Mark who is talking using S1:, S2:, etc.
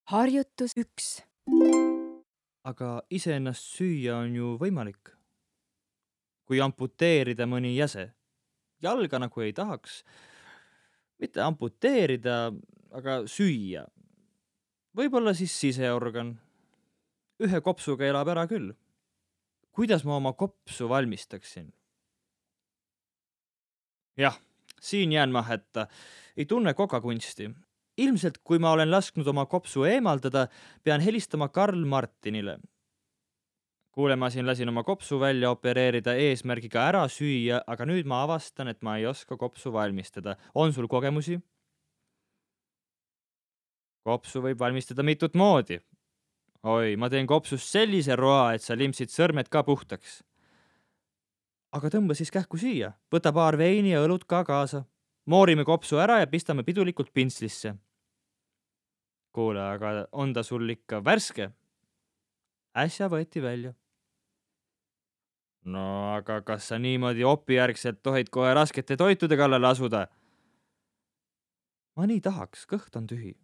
S1: Harjutus 1.
S2: Aga iseennast süüa on ju võimalik. Kui amputeerida mõni jäse. Jalga nagu ei tahaks. Mitte amputeerida, aga süüa. Võib-olla siis siseorgan. Ühe kopsuga elab ära küll. Kuidas ma oma kopsu valmistaksin? Jah, siin jään ma hätta. Ei tunne kokakunsti. Ilmselt, kui ma olen lasknud oma kopsu eemaldada, pean helistama Karl Martinile. Kuule, ma siin lasin oma kopsu välja opereerida eesmärgiga ära süüa, aga nüüd ma avastan, et ma ei oska kopsu valmistada. On sul kogemusi? Kopsu võib valmistada mitut moodi. Oi, ma teen kopsust sellise roa, et sa limpsid sõrmed ka puhtaks. Aga tõmba siis kähku siia. Võta paar veini ja õlut ka kaasa. Moorime kopsu ära ja pistame pidulikult pintslisse. Kuule, aga on ta sul ikka värske? Äsja võeti välja. No aga kas sa niimoodi opijärgselt tohid kohe raskete toitude kallale asuda? Ma nii tahaks, kõht on tühi.